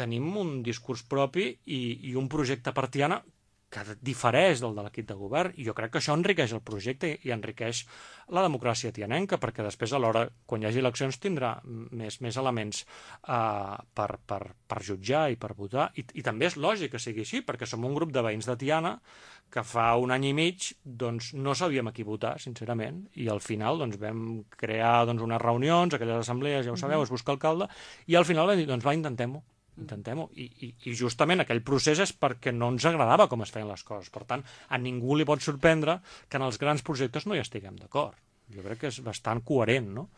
tenim un discurs propi i un projecte per Tiana que difereix del de l'equip de govern, i jo crec que això enriqueix el projecte i enriqueix la democràcia tianenca, perquè després a l'hora, quan hi hagi eleccions, tindrà més elements per jutjar i per votar, i també és lògic que sigui així, perquè som un grup de veïns de Tiana que fa un any i mig doncs, no sabíem a qui votar, sincerament, i al final doncs, vam crear unes reunions, aquelles assemblees, ja ho sabeu, es busca alcalde, i al final vam dir, doncs va, intentem-ho. I justament aquell procés és perquè no ens agradava com es feien les coses. Per tant, a ningú li pot sorprendre que en els grans projectes no hi estiguem d'acord. Jo crec que és bastant coherent, no?